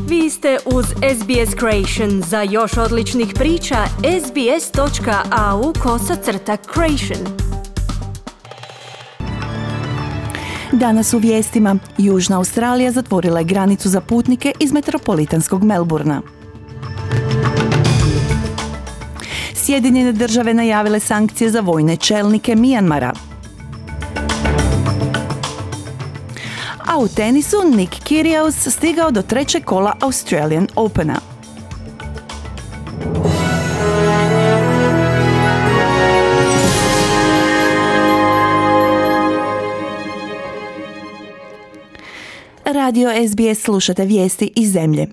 Vi ste uz SBS Creation. Za još odličnih priča, sbs.au/creation. Danas u vijestima. Južna Australija zatvorila je granicu za putnike iz metropolitanskog Melbourna. Sjedinjene države najavile sankcije za vojne čelnike Mijanmara. A u tenisu Nick Kyrgios stigao do trećeg kola Australian Opena. Radio SBS slušate vijesti iz zemlje.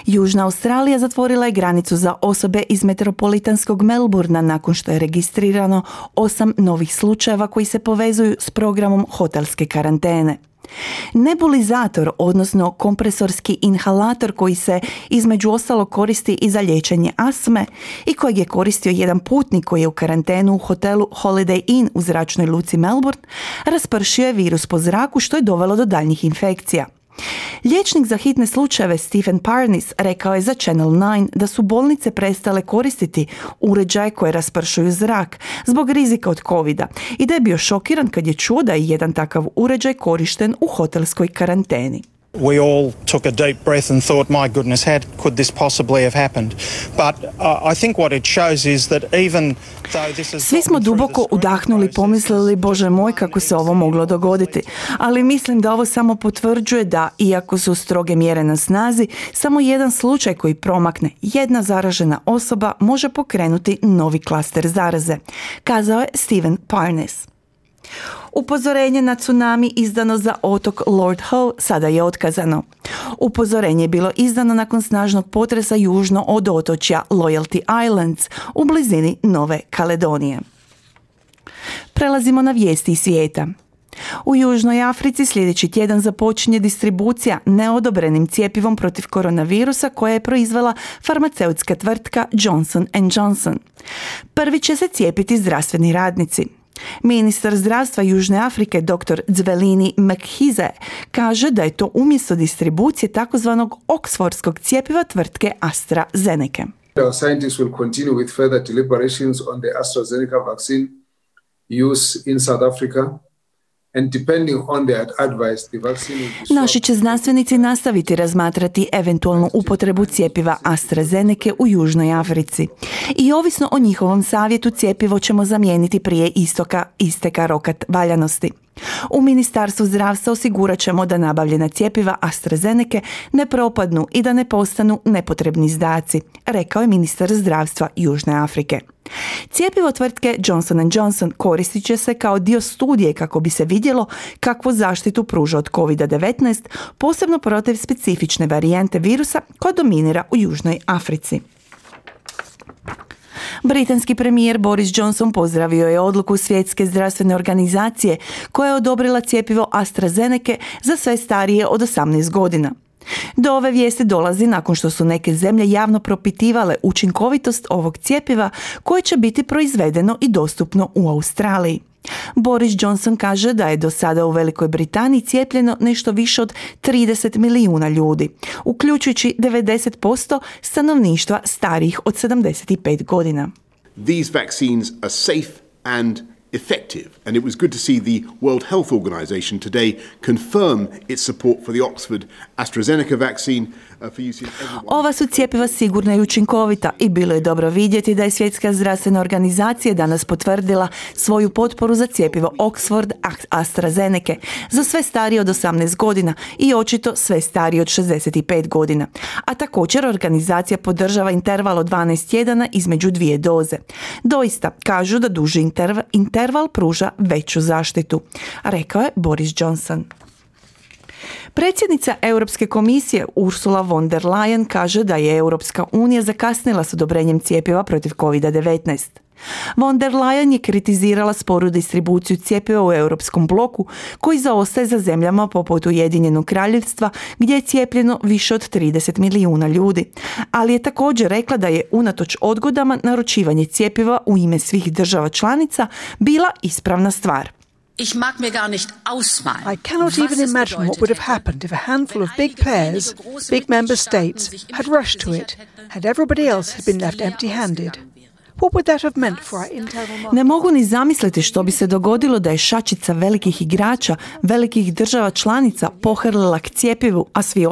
Južna Australija zatvorila je granicu za osobe iz metropolitanskog Melbourna nakon što je registrirano 8 novih slučajeva koji se povezuju s programom hotelske karantene. Nebulizator, odnosno kompresorski inhalator koji se između ostalog koristi i za liječenje astme i kojeg je koristio jedan putnik koji je u karantenu u hotelu Holiday Inn u zračnoj luci Melbourne, raspršio je virus po zraku što je dovelo do daljnjih infekcija. Liječnik za hitne slučajeve Stephen Parnis rekao je za Channel 9 da su bolnice prestale koristiti uređaje koje raspršuju zrak zbog rizika od covida i da je bio šokiran kad je čuo da je jedan takav uređaj korišten u hotelskoj karanteni. We all took a deep breath and thought, my goodness, how could this possibly have happened? But I think what it shows is that even though this is... Svi smo duboko udahnuli i pomislili, Bože moj, kako se ovo moglo dogoditi. Ali mislim da ovo samo potvrđuje da, iako su stroge mjere na snazi, samo jedan slučaj koji promakne, jedna zaražena osoba može pokrenuti novi klaster zaraze, kazao je Stephen Parnis. Upozorenje na tsunami izdano za otok Lord Howe sada je otkazano. Upozorenje je bilo izdano nakon snažnog potresa južno od otočja Loyalty Islands u blizini Nove Kaledonije. Prelazimo na vijesti iz svijeta. U Južnoj Africi sljedeći tjedan započinje distribucija neodobrenim cjepivom protiv koronavirusa koja je proizvela farmaceutska tvrtka Johnson & Johnson. Prvi će se cijepiti zdravstveni radnici. Ministar zdravstva Južne Afrike dr. Zwelini Mkhize kaže da je to umjesto distribucije takozvanog oksfordskog cjepiva tvrtke AstraZeneca. Our scientists will continue with further deliberations on the AstraZeneca vaccine use in South Africa. And depending on their advice, the vaccine will be... Naši će znanstvenici nastaviti razmatrati eventualnu upotrebu cjepiva AstraZeneca u Južnoj Africi. I ovisno o njihovom savjetu cjepivo ćemo zamijeniti prije isteka roka valjanosti. U Ministarstvu zdravstva osigurat ćemo da nabavljena cjepiva AstraZeneca ne propadnu i da ne postanu nepotrebni izdaci, rekao je ministar zdravstva Južne Afrike. Cjepivo tvrtke Johnson & Johnson koristit će se kao dio studije kako bi se vidjelo kakvu zaštitu pruža od COVID-19, posebno protiv specifične varijante virusa koja dominira u Južnoj Africi. Britanski premijer Boris Johnson pozdravio je odluku Svjetske zdravstvene organizacije koja je odobrila cjepivo AstraZeneca za sve starije od 18 godina. Do ove vijesti dolazi nakon što su neke zemlje javno propitivale učinkovitost ovog cjepiva koje će biti proizvedeno i dostupno u Australiji. Boris Johnson kaže da je do sada u Velikoj Britaniji cijepljeno nešto više od 30 milijuna ljudi, uključujući 90% stanovništva starijih od 75 godina. These vaccines are safe and effective, and it was good to see the World Health Organization today confirm its support for the Oxford AstraZeneca vaccine for use in everyone. Ova su cjepiva sigurna i učinkovita i bilo je dobro vidjeti da je Svjetska zdravstvena organizacija danas potvrdila svoju potporu za cjepivo Oxford AstraZeneca za sve starije od 18 godina i očito sve starije od 65 godina. A također organizacija podržava interval od 12 tjedana između dvije doze. Doista, kažu da duži interval pruža veću zaštitu, rekao je Boris Johnson. Predsjednica Europske komisije Ursula von der Leyen kaže da je Europska unija zakasnila s odobrenjem cjepiva protiv COVID-19. Von der Leyen je kritizirala sporu distribuciju cjepiva u europskom bloku koji zaostaje za zemljama poput Ujedinjenog Kraljevstva gdje je cijepljeno više od 30 milijuna ljudi. Ali je također rekla da je unatoč odgodama naručivanje cjepiva u ime svih država članica bila ispravna stvar. Ich mag mir gar nicht ausmalen. I cannot even imagine what would have happened if a handful of big pairs, big member states, had rushed to it, had everybody else had been left empty-handed. What would that have meant for our internal market? Ne mogu ni zamisliti što bi se dogodilo da je šačica velikih igrača, velikih država članica pohrlila k cjepivu, a svi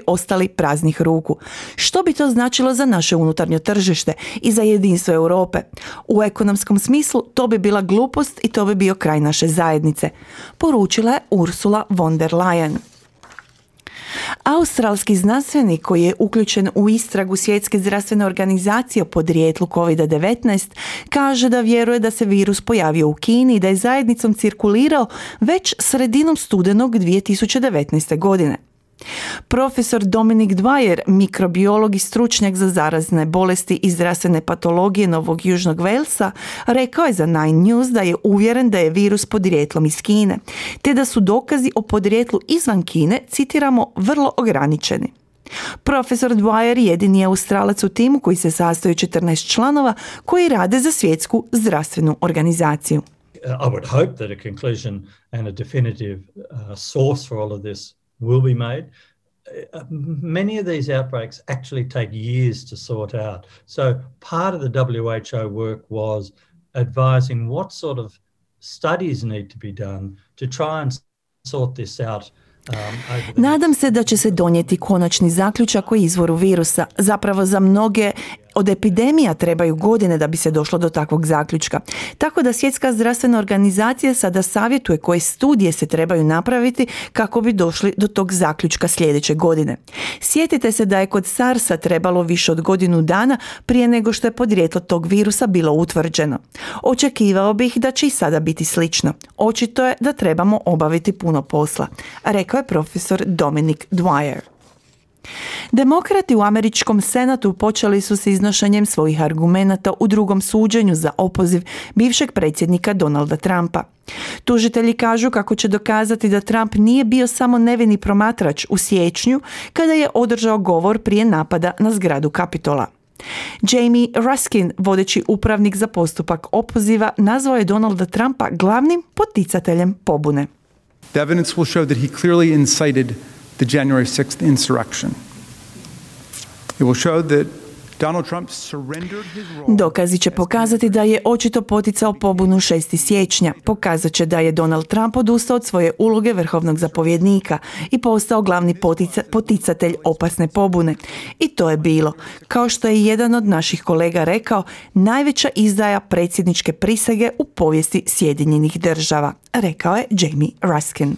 ostali praznih ruku. Što bi to značilo za naše unutarnje tržište i za jedinstvo Europe? U ekonomskom smislu to bi bila glupost i to bi bio kraj naše zajednice, poručila je Ursula von der Leyen. Australski znanstvenik koji je uključen u istragu Svjetske zdravstvene organizacije o podrijetlu COVID-19 kaže da vjeruje da se virus pojavio u Kini i da je zajednicom cirkulirao već sredinom studenog 2019. godine. Profesor Dominic Dwyer, mikrobiolog i stručnjak za zarazne bolesti i zdravstvene patologije Novog Južnog Walesa, rekao je za Nine News da je uvjeren da je virus podrijetlom iz Kine, te da su dokazi o podrijetlu izvan Kine, citiramo, vrlo ograničeni. Profesor Dwyer jedini je Australac u timu koji se sastoji 14 članova koji rade za Svjetsku zdravstvenu organizaciju. I would hope that a conclusion and a definitive source for all of this will be made. Many of these outbreaks actually take years to sort out. So part of the WHO work was advising what sort of studies need to be done to try and sort this out. Nadam se da će se donijeti konačni zaključak o izvoru virusa. Zapravo za mnoge od epidemija trebaju godine da bi se došlo do takvog zaključka. Tako da Svjetska zdravstvena organizacija sada savjetuje koje studije se trebaju napraviti kako bi došli do tog zaključka sljedeće godine. Sjetite se da je kod SARS-a trebalo više od godinu dana prije nego što je podrijetlo tog virusa bilo utvrđeno. Očekivao bih da će i sada biti slično. Očito je da trebamo obaviti puno posla, rekao je profesor Dominic Dwyer. Demokrati u američkom senatu počeli su s iznošenjem svojih argumenata u drugom suđenju za opoziv bivšeg predsjednika Donalda Trumpa. Tužitelji kažu kako će dokazati da Trump nije bio samo nevini promatrač u siječnju kada je održao govor prije napada na zgradu Kapitola. Jamie Raskin, vodeći upravnik za postupak opoziva, nazvao je Donalda Trumpa glavnim poticateljem pobune. The evidence will show that he clearly incited the January 6th insurrection. It will show that Donald Trump surrendered his role. Dokazi će pokazati da je očito poticao pobunu 6. siječnja. Pokazat će da je Donald Trump odustao od svoje uloge vrhovnog zapovjednika i postao glavni poticatelj opasne pobune. I to je bilo, kao što je jedan od naših kolega rekao, najveća izdaja predsjedničke prisege u povijesti Sjedinjenih država, rekao je Jamie Raskin.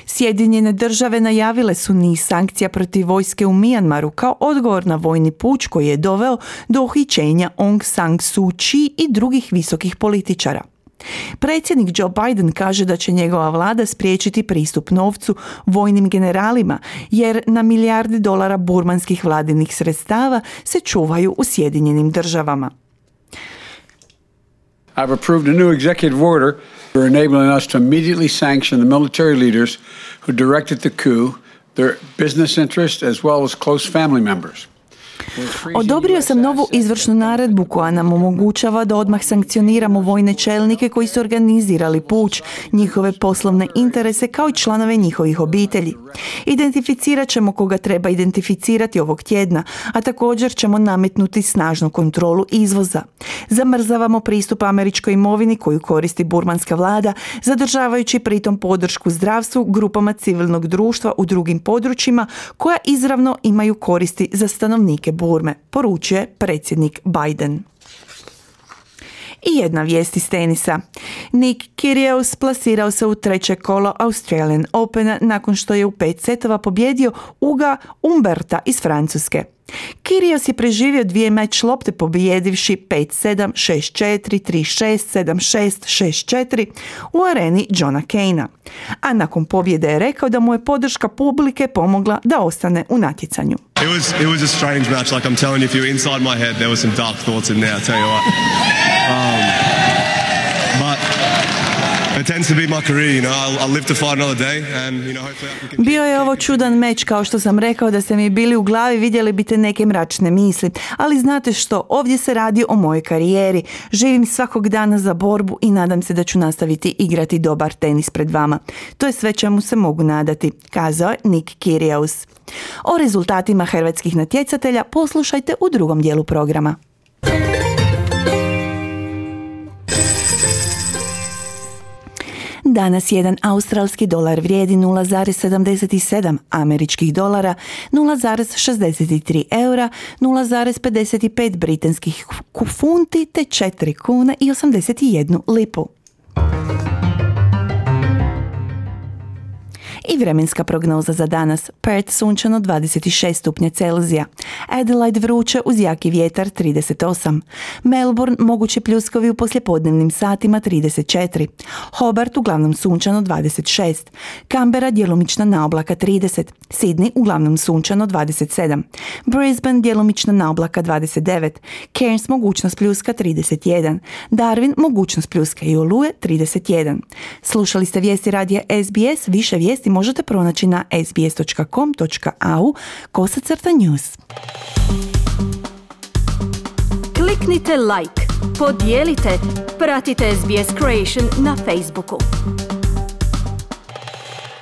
Sjedinjene države najavile su niz sankcija protiv vojske u Mijanmaru kao odgovor na vojni puč koji je doveo do uhićenja Aung San Suu Kyi i drugih visokih političara. Predsjednik Joe Biden kaže da će njegova vlada spriječiti pristup novcu vojnim generalima, jer na milijardi dolara burmanskih vladinih sredstava se čuvaju u Sjedinjenim državama. I've approved a new executive order for enabling us to immediately sanction the military leaders who directed the coup, their business interests, as well as close family members. Odobrio sam novu izvršnu naredbu koja nam omogućava da odmah sankcioniramo vojne čelnike koji su organizirali puč, njihove poslovne interese kao i članove njihovih obitelji. Identificirat ćemo koga treba identificirati ovog tjedna, a također ćemo nametnuti snažnu kontrolu izvoza. Zamrzavamo pristup američkoj imovini koju koristi burmanska vlada, zadržavajući pritom podršku zdravstvu, grupama civilnog društva u drugim područjima koja izravno imaju koristi za stanovnike Burme, poručuje predsjednik Biden. I jedna vijest iz tenisa. Nick Kyrgios plasirao se u treće kolo Australian Opena nakon što je u 5 setova pobjedio Uga Umberta iz Francuske. Kyrgios je preživio 2 meč lopte pobjedivši 5-7, 6-4, 3-6, 7-6, 6-4 u areni Johna Caina. A nakon pobjede je rekao da mu je podrška publike pomogla da ostane u natjecanju. It was a strange match, like I'm telling you, if you're inside my head, there were some dark thoughts in there, I'll tell you what. But it tends to be my career, you know. I'll live to fight another day and, you know, hopefully Bio je ovo čudan meč, kao što sam rekao, da ste mi bili u glavi, vidjeli biste neke mračne misli. Ali znate što, ovdje se radi o mojoj karijeri. Živim svakog dana za borbu i nadam se da ću nastaviti igrati dobar tenis pred vama. To je sve čemu se mogu nadati, kazao je Nick Kyrgios. O rezultatima hrvatskih natjecatelja poslušajte u drugom dijelu programa. Danas jedan australski dolar vrijedi 0,77 američkih dolara, 0,63 eura, 0,55 britanskih funti te 4 kuna i 81 lipu. I vremenska prognoza za danas. Perth sunčano 26 stupnja Celzija. Adelaide vruće uz jaki vjetar 38. Melbourne mogući pljuskovi u poslijepodnevnim satima 34. Hobart uglavnom sunčano 26. Canberra djelomična naoblaka 30. Sydney uglavnom sunčano 27. Brisbane djelomična naoblaka 29. Cairns mogućnost pljuska 31. Darwin mogućnost pljuska i oluje 31. Slušali ste vijesti radija SBS. Više vijesti možete pronaći na sbs.com.au/news. Kliknite like, podijelite, pratite SBS Creation na Facebooku.